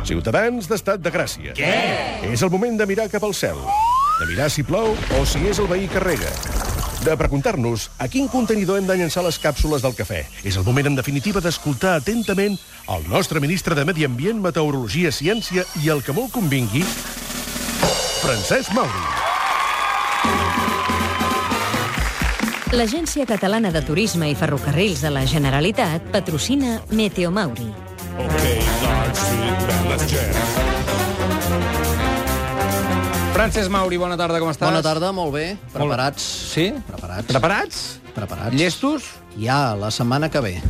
Ciutadans d'estat de Gràcia. Què? És el moment de mirar cap al cel. De mirar si plou o si és el veí que rega. De preguntar-nos a quin contenidor hem de llançar les càpsules del cafè. És el moment, en definitiva, d'escoltar atentament el nostre ministre de Medi Ambient, Meteorologia, Ciència i, el que molt convingui, Francesc Mauri. L'Agència Catalana de Turisme i Ferrocarrils de la Generalitat patrocina Meteo Mauri. Francesc Mauri, bona tarda, com estàs? Bona tarda, molt bé. Preparats? Sí? Preparats. Preparats? Preparats. Llestos? Ja, la setmana que ve.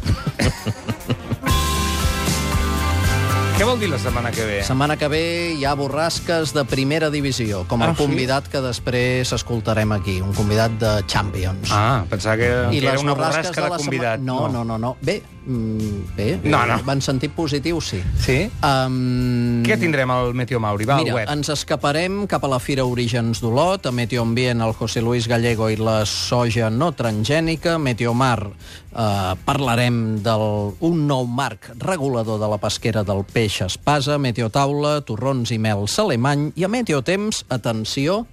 Què vol dir la setmana que ve? Setmana que ve hi ha borrasques de primera divisió, com el convidat que després escoltarem aquí, un convidat de Champions. Ah, pensava que era una borrasques borrasca de convidat. No. Bé, No. en sentit positiu, sí. Sí? Què tindrem al Meteo Mauri? Va, Mira, al web. ens escaparem cap a la Fira Orígens d'Olot, a Meteo Ambient, el José Luis Gallego i la soja no transgènica. Meteomar, parlarem d'un nou marc regulador de la pesquera del peix espasa. Meteotaula, torrons i mels alemany. I a Meteotemps, atenció,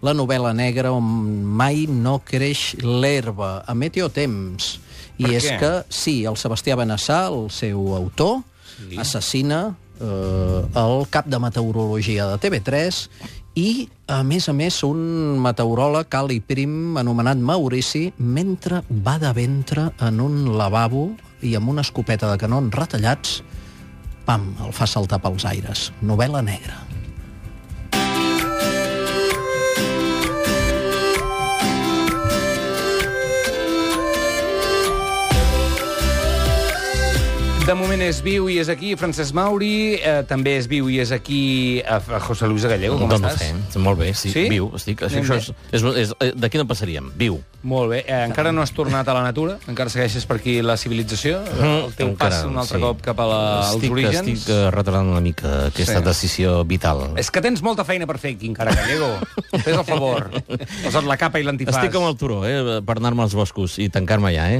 la novel·la negra on mai no creix l'herba. A Meteotemps. I és que, sí, el Sebastià Benassar, el seu autor, assassina el cap de meteorologia de TV3 i, a més, un meteoròleg alt i prim anomenat Maurici, mentre va de ventre en un lavabo i amb una escopeta de canons retallats, pam, el fa saltar pels aires. Novel·la negra. De moment és viu i és aquí Francesc Mauri, també és viu i és aquí a José Luis Gallego. Com estàs? Molt bé, sí, Sí? viu. Estic, això d'aquí no passaríem, viu. Molt bé. Encara no has tornat a la natura? Encara segueixes per aquí la civilització? El teu pas un altre cop cap als orígens? Estic retardant una mica aquesta decisió vital. És que tens molta feina per fer aquí encara, Gallego. Fes el favor. Posa't la capa i l'antifàs. Estic com el turó, per anar-me als boscos i tancar-me allà,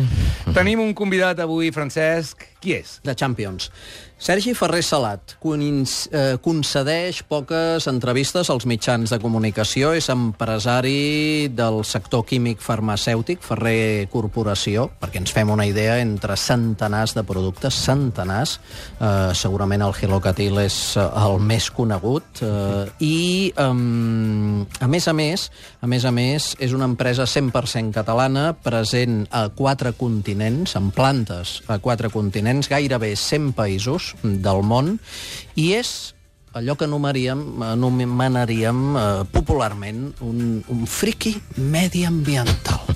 Tenim un convidat avui, Francesc. Qui és? De Champions. Sergi Ferrer Salat concedeix poques entrevistes als mitjans de comunicació. És empresari del sector químic farmacèutic, Ferrer Corporació, perquè ens fem una idea, entre centenars de productes, centenars. Segurament el Gelocatil és el més conegut. I, a més a més, és una empresa 100% catalana, present a 4 continents, amb plantes a 4 continents, gairebé 100 països del món, i és allò que anomenaríem popularment un friqui mediambiental.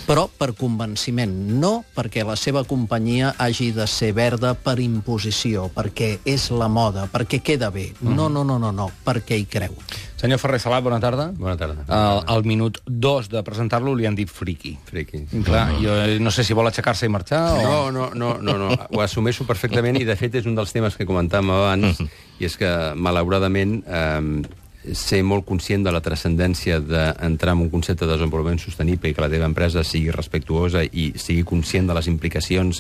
Però per convenciment, no perquè la seva companyia hagi de ser verda per imposició, perquè és la moda, perquè queda bé. No, perquè hi creu. Senyor Ferrer Salat, bona tarda. Bona tarda. Al minut 2 de presentar-lo li han dit friqui. Friqui. Clar, jo no sé si vol aixecar-se i marxar o... No. Ho assumeixo perfectament i, de fet, és un dels temes que comentàvem abans, i és que, malauradament, ser molt conscient de la transcendència d'entrar en un concepte de desenvolupament sostenible i que la teva empresa sigui respectuosa i sigui conscient de les implicacions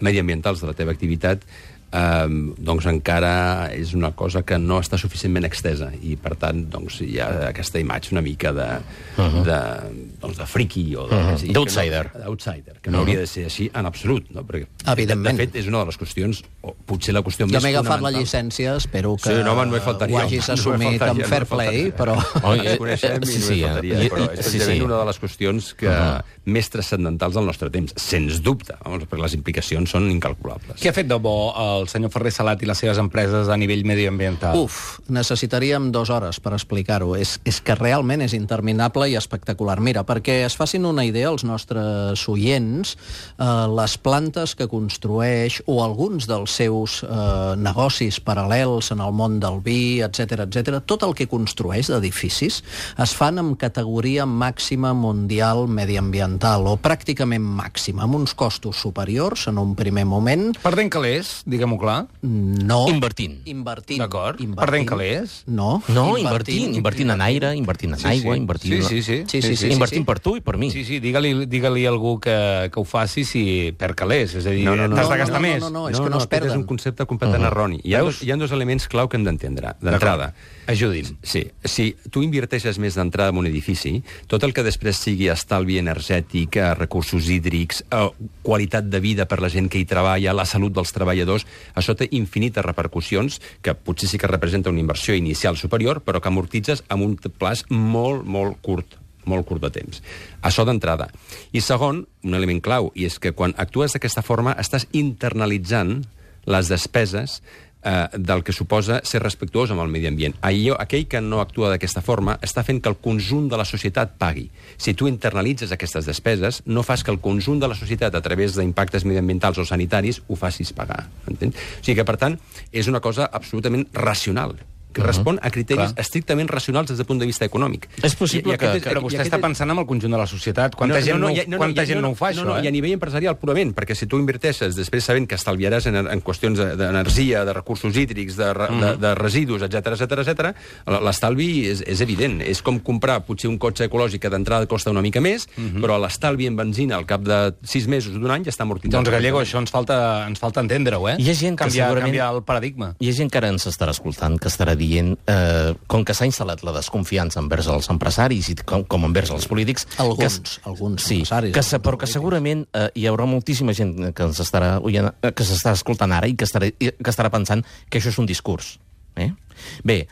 mediambientals de la teva activitat, doncs encara és una cosa que no està suficientment extesa i, per tant, doncs, hi ha aquesta imatge una mica de friqui o d'outsider. D'outsider, que no hauria de ser així en absolut, no? Perquè, evidentment, de fet, és una de les qüestions, o potser la qüestió més fonamental. Jo m'he agafat la llicència, espero que ho hagis assumit amb fair play, però... Ens coneixem i no faltaria, però és precisament una de les qüestions que més transcendentals del nostre temps, sens dubte, perquè les implicacions són incalculables. Què ha fet de bo el senyor Ferrer Salat i les seves empreses a nivell mediambiental? Necessitaríem 2 hores per explicar-ho. És que realment és interminable i espectacular. Mira, perquè es facin una idea els nostres oients, les plantes que construeix o alguns dels seus negocis paral·lels en el món del vi, etc, tot el que construeix d'edificis es fan amb categoria màxima mundial mediambiental, o pràcticament màxima, amb uns costos superiors en un primer moment. Perdent calés, diguem Explica-m'ho clar. No. Invertint. D'acord. Perdent calés. No. No, invertint en aire, invertint en aigua, invertint... Sí. Invertint per tu i per mi. Sí, digue-li a algú que ho faci si perd calés. És a dir, t'has de gastar més. No, és que no es aquest perden. és un concepte completament erroni. Hi ha dos elements clau que hem d'entendre. D'entrada, Ajudi'm. sí, si tu inverteixes més d'entrada en un edifici, tot el que després sigui estalvi energètic, recursos hídrics, qualitat de vida per la gent que hi treballa, la salut dels treballadors, això té infinites repercussions, que potser sí que representa una inversió inicial superior, però que amortitzes amb un plaç molt curt de temps. Això d'entrada. I segon, un element clau, i és que quan actues d'aquesta forma estàs internalitzant les despeses del que suposa ser respectuós amb el medi ambient. Aquell que no actua d'aquesta forma està fent que el conjunt de la societat pagui. Si tu internalitzes aquestes despeses, no fas que el conjunt de la societat, a través d'impactes mediambientals o sanitaris, ho facis pagar. Entens? O sigui que, per tant, és una cosa absolutament racional, que respon a criteris estrictament racionals des del punt de vista econòmic. És possible Però vostè està pensant en el conjunt de la societat. Quanta gent no ho fa, això? I a nivell empresarial, purament, perquè si tu inverteixes després sabent que estalviaràs en qüestions d'energia, de recursos hídrics, de residus, etc, l'estalvi és evident. És com comprar potser un cotxe ecològic que d'entrada costa una mica més, però l'estalvi en benzina al cap de 6 mesos o d'un any ja està amortitzat. Doncs, Gallego, això ens falta entendre-ho, eh? Hi ha gent que canviar el paradigma. Hi ha gent que ara ens estarà escoltant, que estarà dient, com que s'ha instal·lat la desconfiança envers els empresaris i com envers els polítics... Alguns empresaris. Però que segurament hi haurà moltíssima gent que ens estarà escoltant ara i que estarà pensant que això és un discurs. Bé,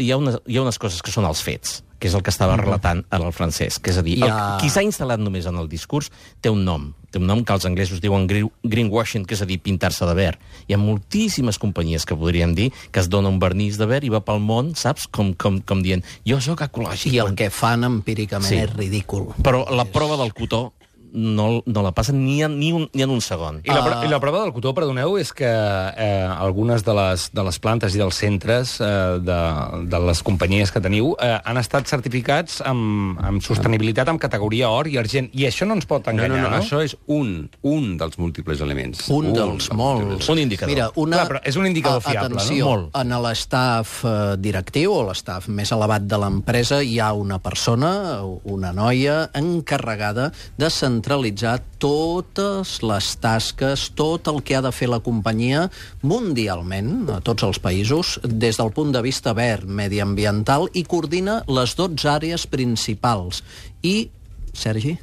hi ha unes coses que són els fets, que és el que estava relatant ara el Francesc. És a dir, qui s'ha instal·lat només en el discurs té un nom que els anglesos diuen greenwashing, que és a dir, pintar-se de verd. Hi ha moltíssimes companyies que podríem dir que es dona un vernís de verd i va pel món, saps? Com dient, jo sóc ecològic. I el que fan empíricament és ridícul. Però la prova del cotó no la passen ni en un segon. I la prova del cotó, perdoneu, és que algunes de les plantes i dels centres de les companyies que teniu han estat certificats amb sostenibilitat amb categoria or i argent. I això no ens pot enganyar, no? Això és un dels múltiples elements. Un dels molts. Un indicador. Mira, Clar, però és un indicador fiable, atenció, no? Molt. En l'estaf directiu o l'estaf més elevat de l'empresa hi ha una persona, una noia, encarregada de centralitzar totes les tasques, tot el que ha de fer la companyia mundialment, a tots els països, des del punt de vista verd, mediambiental, i coordina les 12 àrees principals. I, Sergi,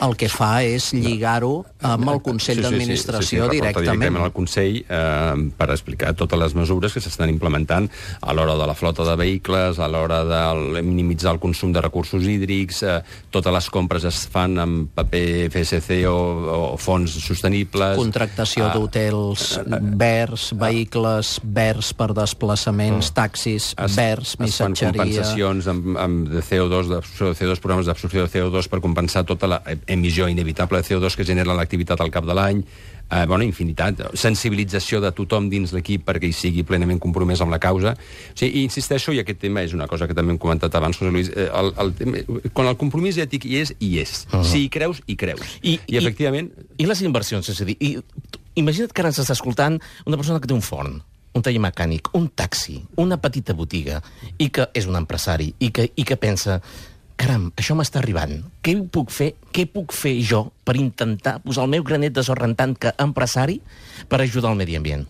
el que fa és lligar-ho amb el Consell d'Administració directament. Al Consell per explicar totes les mesures que s'estan implementant a l'hora de la flota de vehicles, a l'hora de minimitzar el consum de recursos hídrics, totes les compres es fan amb paper FSC o fons sostenibles. Contractació d'hotels verds, vehicles verds per desplaçaments, taxis verds, missatgeria... Es fan compensacions de CO2, d'absorció de CO2, programes d'absorció de CO2 per compensar tota la emissió inevitable de CO2 que genera l'activitat al cap de l'any, infinitat, sensibilització de tothom dins l'equip perquè hi sigui plenament compromès amb la causa. O sigui, insisteixo, i aquest tema és una cosa que també hem comentat abans, José Luis, quan el compromís ètic hi és. Si hi creus, hi creus. I efectivament... I les inversions, és a dir, imagina't que ara ens està escoltant una persona que té un forn, un taller mecànic, un taxi, una petita botiga, i que és un empresari, i que pensa... Caram, això m'està arribant. Què puc fer jo per intentar posar el meu granet de sorra en tant que empresari per ajudar el medi ambient?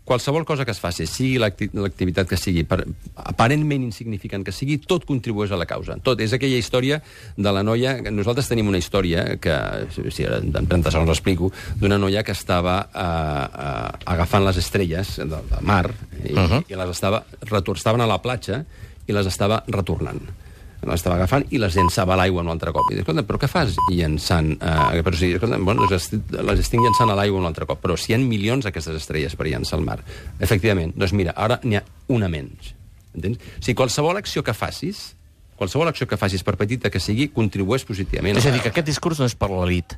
Qualsevol cosa que es faci, sigui l'activitat que sigui, aparentment insignificant que sigui, tot contribueix a la causa. Tot. És aquella història de la noia... Nosaltres tenim una història, que si ara en 30 segons l'explico, d'una noia que estava agafant les estrelles del mar i les estaven a la platja i les estava retornant. Les estava agafant i les llançava a l'aigua un altre cop. I dic, escolta, però què fas llançant... les estic llançant a l'aigua un altre cop. Però si hi ha milions d'aquestes estrelles per llançar al mar. Efectivament, doncs mira, ara n'hi ha una menys. Entens? O sigui, qualsevol acció que facis, per petita que sigui, contribueix positivament. És a dir, que aquest discurs no és per l'elit.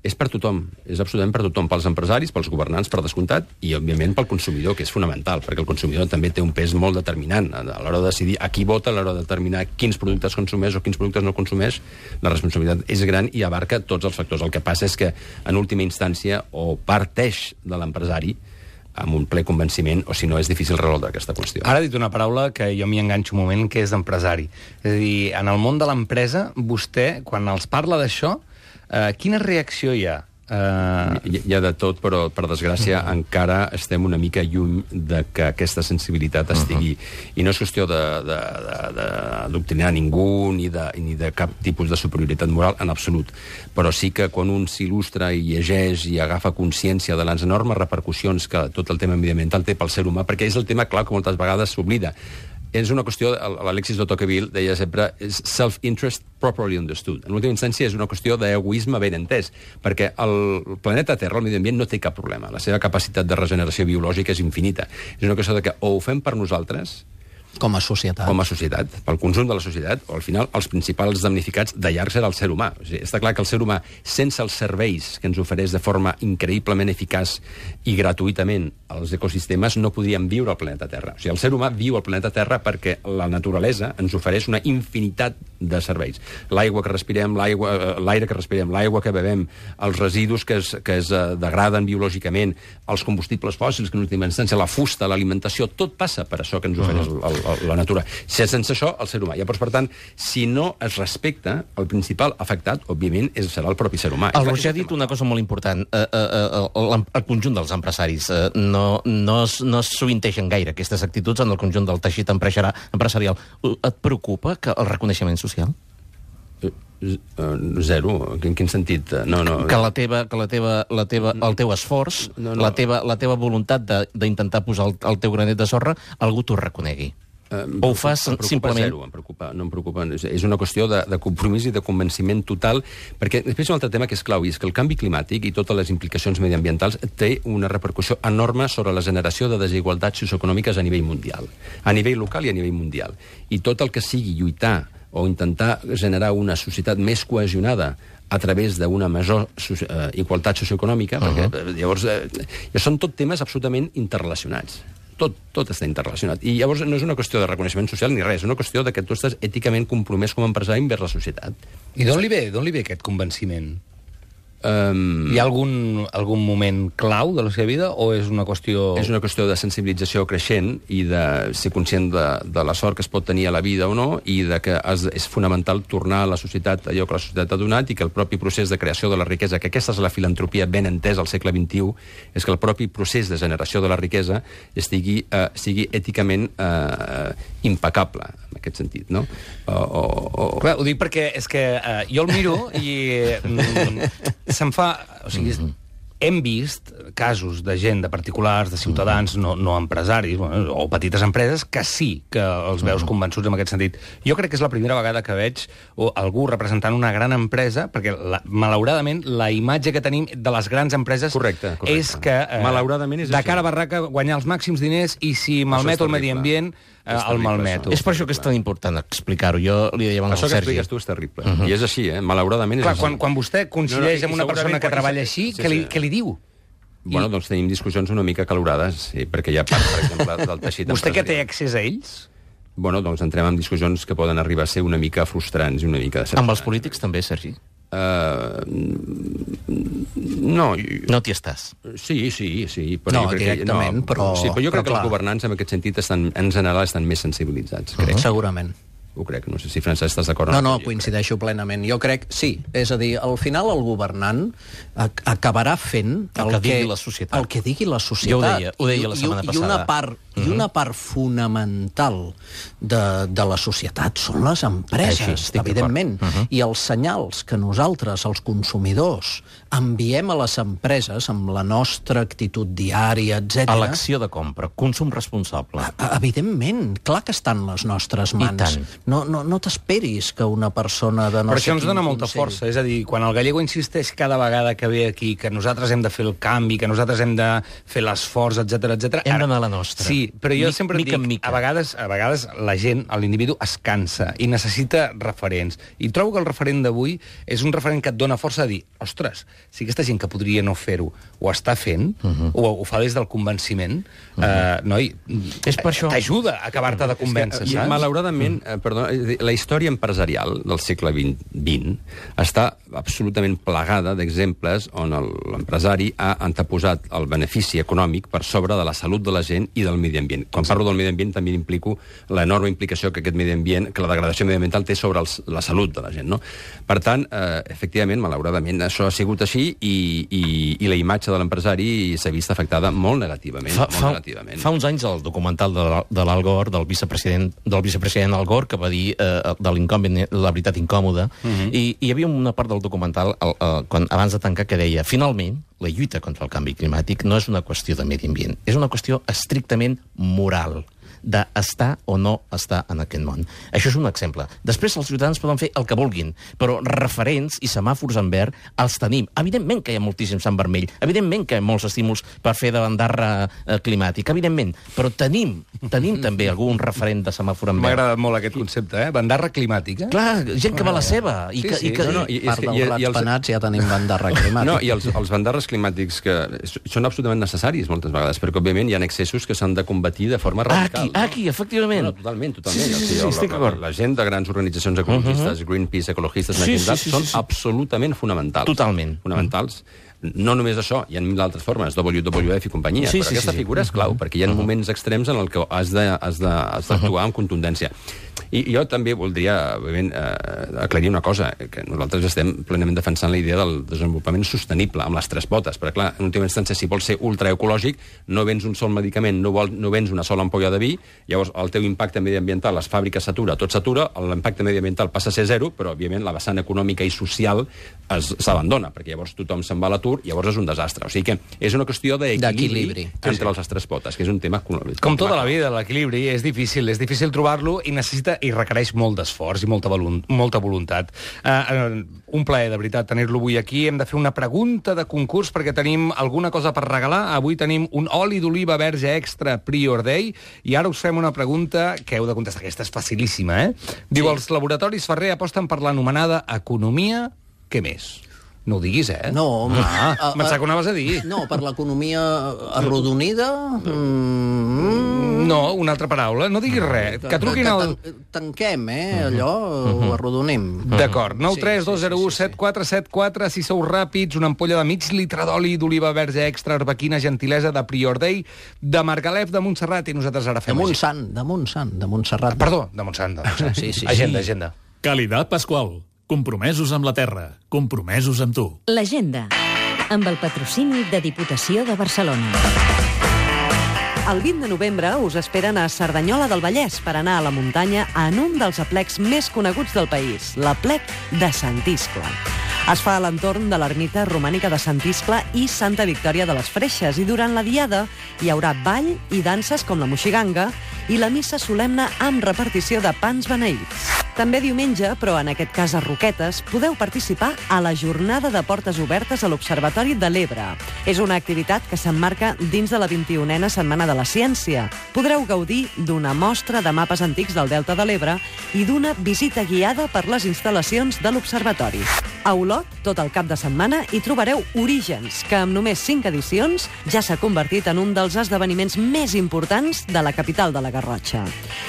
És per tothom, és absolutament per tothom, pels empresaris, pels governants, per descomptat, i, òbviament, pel consumidor, que és fonamental, perquè el consumidor també té un pes molt determinant. A l'hora de decidir a qui vota, a l'hora de determinar quins productes consumeix o quins productes no consumeix, la responsabilitat és gran i abarca tots els factors. El que passa és que, en última instància, o parteix de l'empresari, amb un ple convenciment, o si no és difícil resoldre aquesta qüestió. Ara ha dit una paraula que jo m'hi enganxo un moment, que és d'empresari. És a dir, en el món de l'empresa, vostè, quan els parla d'això, quina reacció hi ha? Hi ha de tot, però per desgràcia encara estem una mica lluny de que aquesta sensibilitat estigui. I no és qüestió d'adoctrinar ningú ni de cap tipus de superioritat moral en absolut, però sí que quan un s'il·lustra i llegeix i agafa consciència de les enormes repercussions que tot el tema mediambiental té pel ser humà, perquè és el tema clau que moltes vegades s'oblida. És una qüestió, l'Alexis de Tocqueville deia sempre, és self-interest properly understood. En última instància és una qüestió d'egoisme ben entès, perquè el planeta Terra, el medi ambient, no té cap problema. La seva capacitat de regeneració biològica és infinita. És una qüestió que o ho fem per nosaltres, com a societat, pel conjunt de la societat, o al final els principals damnificats de llarg serà el ser humà. O sigui, està clar que el ser humà, sense els serveis que ens ofereix de forma increïblement eficaç i gratuïtament als ecosistemes, no podríem viure al planeta Terra. O sigui, el ser humà viu al planeta Terra perquè la naturalesa ens ofereix una infinitat de serveis. L'aigua que respirem, l'aire que respirem, l'aigua que bevem, els residus que es degraden biològicament, els combustibles fòssils, que en última instància la fusta, l'alimentació, tot passa per això que ens ofereix la natura. Sense això, el ser humà. Llavors, per tant, si no es respecta, el principal afectat, òbviament, serà el propi ser humà. El Roger ha dit una cosa molt important. El conjunt dels empresaris no sovinteixen gaire aquestes actituds en el conjunt del teixit empresarial. Et preocupa que el reconeixement social? Zero. En quin sentit? No. Que el teu esforç, la teva voluntat d'intentar posar el teu granet de sorra, algú t'ho reconegui. O ho fas simplement... Zero, no em preocupa. És una qüestió de compromís i de convenciment total, perquè després un altre tema que és clau, i és que el canvi climàtic i totes les implicacions mediambientals té una repercussió enorme sobre la generació de desigualtats socioeconòmiques a nivell mundial, a nivell local i a nivell mundial. I tot el que sigui lluitar o intentar generar una societat més cohesionada a través d'una major igualtat socioeconòmica, perquè llavors són tot temes absolutament interrelacionats. Tot està interrelacionat. I llavors no és una qüestió de reconeixement social ni res, és una qüestió de que tu estàs èticament compromès com a empresari envers la societat. I d'on li ve aquest convenciment? Hi ha algun moment clau de la seva vida o és una qüestió... És una qüestió de sensibilització creixent i de ser conscient de la sort que es pot tenir a la vida o no, i de que és fonamental tornar a la societat allò que la societat ha donat, i que el propi procés de creació de la riquesa, que aquesta és la filantropia ben entesa al segle XXI, és que el propi procés de generació de la riquesa sigui èticament impecable, en aquest sentit, no? Clar, ho dic perquè és que jo el miro i se'm fa... O sigui, hem vist casos de gent, de particulars, de ciutadans, no empresaris, o petites empreses, que sí que els veus convençuts en aquest sentit. Jo crec que és la primera vegada que veig algú representant una gran empresa, perquè, malauradament, la imatge que tenim de les grans empreses és que, malauradament és de cara a barraca, guanyar els màxims diners, i si malmeto el medi ambient, el malmeto. És per això que és tan important explicar-ho. Jo li deia abans al Sergi. Això que expliques tu és terrible. I és així, malauradament és així. Quan vostè coincideix amb una persona que treballa així, què li diu? Bueno, doncs tenim discussions una mica calorades, perquè hi ha part, per exemple, del teixit empresarial. Vostè que té accés a ells? Bueno, doncs entrem en discussions que poden arribar a ser una mica frustrants i una mica... Amb els polítics també, Sergi? No. No t'hi estàs? Sí. No, directament, però... Sí, però jo crec que els governants en aquest sentit en general estan més sensibilitzats, crec. Segurament. Ho crec, no sé si, Francesc, estàs d'acord o no. No, coincideixo plenament. Jo crec, sí. És a dir, al final el governant acabarà fent el que digui la societat. El que digui la societat. Jo ho deia la setmana passada. I una part fonamental de la societat són les empreses, evidentment. I els senyals que nosaltres, els consumidors, enviem a les empreses amb la nostra actitud diària, etc. Elecció de compra, consum responsable. Evidentment, clar que estan les nostres mans. I tant. No t'esperis que una persona de no Però sé això ens dona molta força. És a dir, quan el gallego insisteix cada vegada que ve aquí que nosaltres hem de fer el canvi, que nosaltres hem de fer l'esforç, etc. Hem d'anar a la nostra. Sí, però jo sempre mica en dic, mica. a vegades la gent, l'individu, es cansa i necessita referents. I trobo que el referent d'avui és un referent que et dona força a dir, ostres, si aquesta gent que podria no fer-ho ho està fent, ho fa des del convenciment, noi, És per això. t'ajuda a acabar-te de convèncer, saps? Malauradament, la història empresarial del segle XX està absolutament plagada d'exemples on l'empresari ha anteposat el benefici econòmic per sobre de la salut de la gent i del medi ambient. Quan parlo del medi ambient també implico l'enorme implicació que aquest medi ambient, que la degradació mediambiental té sobre la salut de la gent, no? Per tant, efectivament, malauradament, això ha sigut així i la imatge de l'empresari s'ha vist afectada molt negativament. Fa uns anys el documental de l'Al Gore, del vicepresident Al Gore, que va dir de l'incòmpet la veritat incòmoda, i hi havia una part del documental abans de tancar que deia, finalment, la lluita contra el canvi climàtic no és una qüestió de medi ambient, és una qüestió estrictament moral, d'estar o no estar en aquest món. Això és un exemple. Després els ciutadans poden fer el que vulguin, però referents i semàfors en verd els tenim. Evidentment que hi ha moltíssims en vermell, evidentment que hi ha molts estímuls per fer de bandarra climàtica, evidentment, però tenim també algun referent de semàfor en M'ha verd. agradat molt aquest concepte, Bandarra climàtica. Clar, gent que va a la seva. Sí. Part dels rats penats ja tenim bandarra climàtica. No, i els bandarres climàtics que són absolutament necessaris moltes vegades, perquè òbviament hi ha excessos que s'han de combatir de forma radical. Aquí, efectivament. No, totalment. Sí, estic d'acord. La gent de grans organitzacions ecologistes, Greenpeace, ecologistes, són absolutament fonamentals. Totalment. Fonamentals. No només això, hi ha mil altres formes, WWF i companyia, però aquesta figura és clau, perquè hi ha moments extrems en què has d'actuar amb contundència. I jo també voldria, òbviament, aclarir una cosa, que nosaltres estem plenament defensant la idea del desenvolupament sostenible, amb les tres potes, perquè, clar, en última instància, si vols ser ultraecològic, no vens un sol medicament, no vens una sola ampolla de vi, llavors el teu impacte mediambiental, les fàbriques s'atura, tot s'atura, l'impacte mediambiental passa a ser zero, però, òbviament, la vessant econòmica i social s'abandona, perquè llavors tothom se'n va a l'atur, llavors és un desastre. O sigui que és una qüestió d'equilibri entre les tres potes, que és un tema... Com tota la vida, l'equilibri és difícil trobar-lo i necessita i requereix molt d'esforç i molta voluntat. Un plaer, de veritat, tenir-lo avui aquí. Hem de fer una pregunta de concurs perquè tenim alguna cosa per regalar. Avui tenim un oli d'oliva verge extra Prior Day i ara us fem una pregunta que heu de contestar. Aquesta és facilíssima, Diu, els laboratoris Ferrer aposten per l'anomenada economia... Què més? No ho diguis, No, pensava que ho anaves a dir. No, per l'economia arrodonida... No, una altra paraula. No diguis res. Que truquin al... Tanquem, allò, ho arrodonim. D'acord. 932017474. Si sou ràpids, una ampolla de mig litre d'oli d'oliva verge extra arbequina gentilesa de Prior Day, de Margalef de Montserrat, i nosaltres ara fem... De Montserrat. Perdó, de Montserrat. Sí. Agenda. Calidad Pasqual. Compromesos amb la terra. Compromesos amb tu. L'agenda, amb el patrocini de Diputació de Barcelona. El 20 de novembre us esperen a Cerdanyola del Vallès per anar a la muntanya en un dels aplecs més coneguts del país, l'aplec de Sant Iscle. Es fa a l'entorn de l'ermita romànica de Sant Iscle i Santa Victòria de les Freixes, i durant la diada hi haurà ball i danses com la moixiganga i la missa solemne amb repartició de pans beneïts. També diumenge, però en aquest cas a Roquetes, podeu participar a la jornada de portes obertes a l'Observatori de l'Ebre. És una activitat que s'emmarca dins de la 21a Setmana de la Ciència. Podreu gaudir d'una mostra de mapes antics del Delta de l'Ebre i d'una visita guiada per les instal·lacions de l'Observatori. A Olot, tot el cap de setmana, hi trobareu Orígens, que amb només 5 edicions ja s'ha convertit en un dels esdeveniments més importants de la capital de la Garrotxa.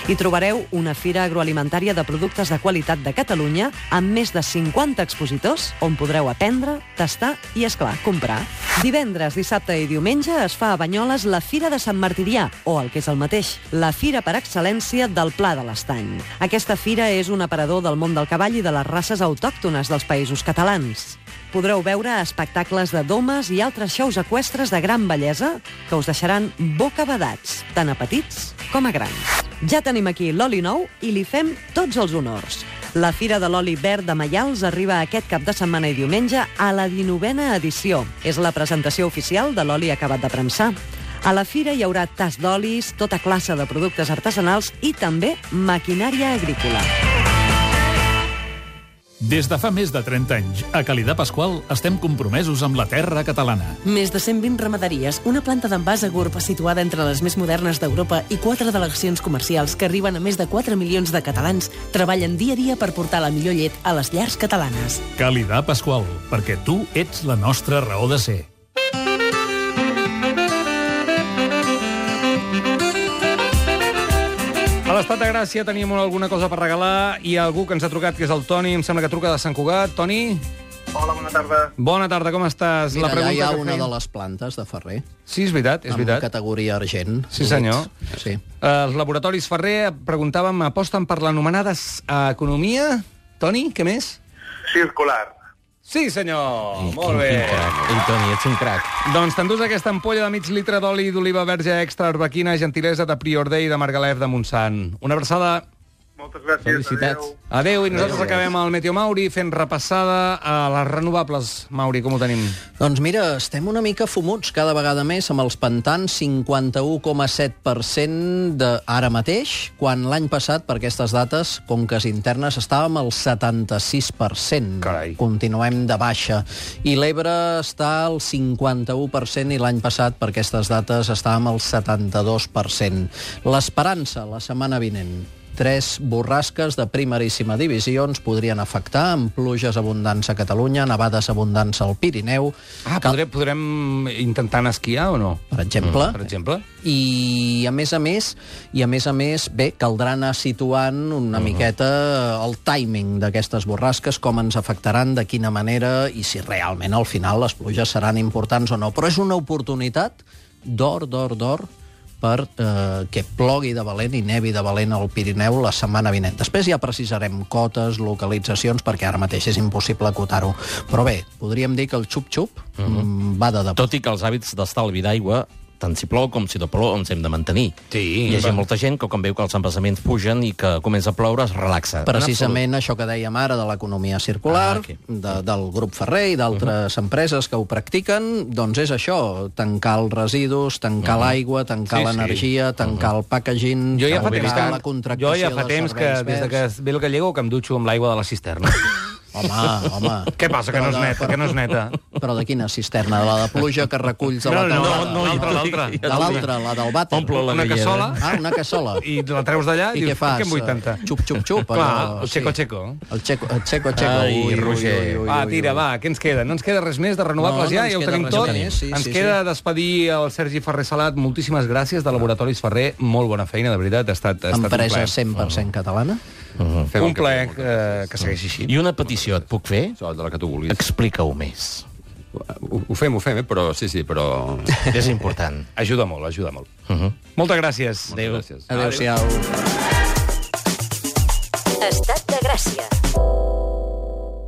Hi trobareu una fira agroalimentària de productes de qualitat de Catalunya amb més de 50 expositors on podreu aprendre, tastar i, esclar, comprar. Divendres, dissabte i diumenge es fa a Banyoles la Fira de Sant Martirià, o el que és el mateix, la fira per excel·lència del Pla de l'Estany. Aquesta fira és un aparador del món del cavall i de les races autòctones dels països catalans. Podreu veure espectacles de domes i altres xous eqüestres de gran bellesa que us deixaran bocabadats, tant a petits com a grans. Ja tenim aquí l'oli nou i li fem tots els honors. La Fira de l'Oli Verd de Maials arriba aquest cap de setmana i diumenge a la 19a edició. És la presentació oficial de l'oli acabat de premsar. A la fira hi haurà tas d'olis, tota classe de productes artesanals i també maquinària agrícola. Des de fa més de 30 anys, a Calidà Pasqual estem compromesos amb la terra catalana. Més de 120 ramaderies, una planta d'envàs a Gurb situada entre les més modernes d'Europa i 4 delegacions comercials que arriben a més de 4 milions de catalans treballen dia a dia per portar la millor llet a les llars catalanes. Calidà Pasqual, perquè tu ets la nostra raó de ser. A l'Estat de Gràcia teníem alguna cosa per regalar i algú que ens ha trucat, que és el Toni, em sembla que truca de Sant Cugat. Toni? Hola, bona tarda. Bona tarda, com estàs? Mira, allà hi ha una de les plantes de Ferrer. Sí, és veritat, és veritat. Amb categoria argent. Sí, senyor. Sí. Els laboratoris Ferrer, preguntàvem, aposten per l'anomenada economia? Toni, què més? Circular. Sí, senyor! Molt bé. Ei, Toni, ets un crac. Doncs t'endús aquesta ampolla de mig litre d'oli d'oliva verge extra arbequina, gentilesa de Prior Day de Margalef de Montsant. Una abraçada. Moltes gràcies. Felicitats. Adéu, i nosaltres acabem el Meteo Mauri fent repassada a les renovables. Mauri, com ho tenim? Doncs mira, estem una mica fumuts cada vegada més amb els pantans, 51,7% ara mateix, quan l'any passat, per aquestes dates, conques internes, estàvem al 76%. Carai. Continuem de baixa. I l'Ebre està al 51% i l'any passat, per aquestes dates, estàvem al 72%. L'Esperança, la setmana vinent, 3 borrasques de primeríssima divisió ens podrien afectar, amb pluges abundants a Catalunya, nevades abundants al Pirineu. Podrem intentar anar a esquiar o no? Per exemple. Per exemple. I a més a més, bé, caldrà anar situant una miqueta el timing d'aquestes borrasques, com ens afectaran, de quina manera, i si realment al final les pluges seran importants o no. Però és una oportunitat d'or, per que plogui de valent i nevi de valent al Pirineu la setmana vinent. Després ja precisarem cotes, localitzacions, perquè ara mateix és impossible acotar-ho. Però bé, podríem dir que el xup-xup va de debò. Tot i que els hàbits d'estalvi d'aigua, tant si plou com si no plou, ens hem de mantenir. Sí. Hi ha molta gent que, quan veu que els embassaments pugen i que comença a ploure, es relaxa. Precisament això que dèiem ara de l'economia circular, del grup Ferrer i d'altres empreses que ho practiquen, doncs és això, tancar els residus, tancar l'aigua, tancar l'energia, tancar el packaging, tancar la contractació de serveis verds. Des que ve el gallego, que em dutxo amb l'aigua de la cisterna. Home. Què passa, que no és neta? Però de quina cisterna? De la de pluja que reculls a la teulada? l'altra. De l'altra, la del vàter. Omple la Una cassola. Una cassola. I la treus d'allà i què dius, fas? què em vull tanta? Xup. Clar, el xeco. El xeco. Ai, Roger. Va, tira, què ens queda? No ens queda res més de renovables ja ho tenim tot. Ens queda despedir el Sergi Ferrer Salat. Moltíssimes gràcies, de Laboratoris Ferrer. Molt bona feina, de veritat. Ha estat un plaer. Empresa 100% catalana. Un plaer que segueixi així. I una petició et puc fer? De la que tu vulguis. Explica-ho més. Ho fem, però però... És important. Ajuda molt. Moltes gràcies. Adéu. Adéu-siau. Estat de Gràcia.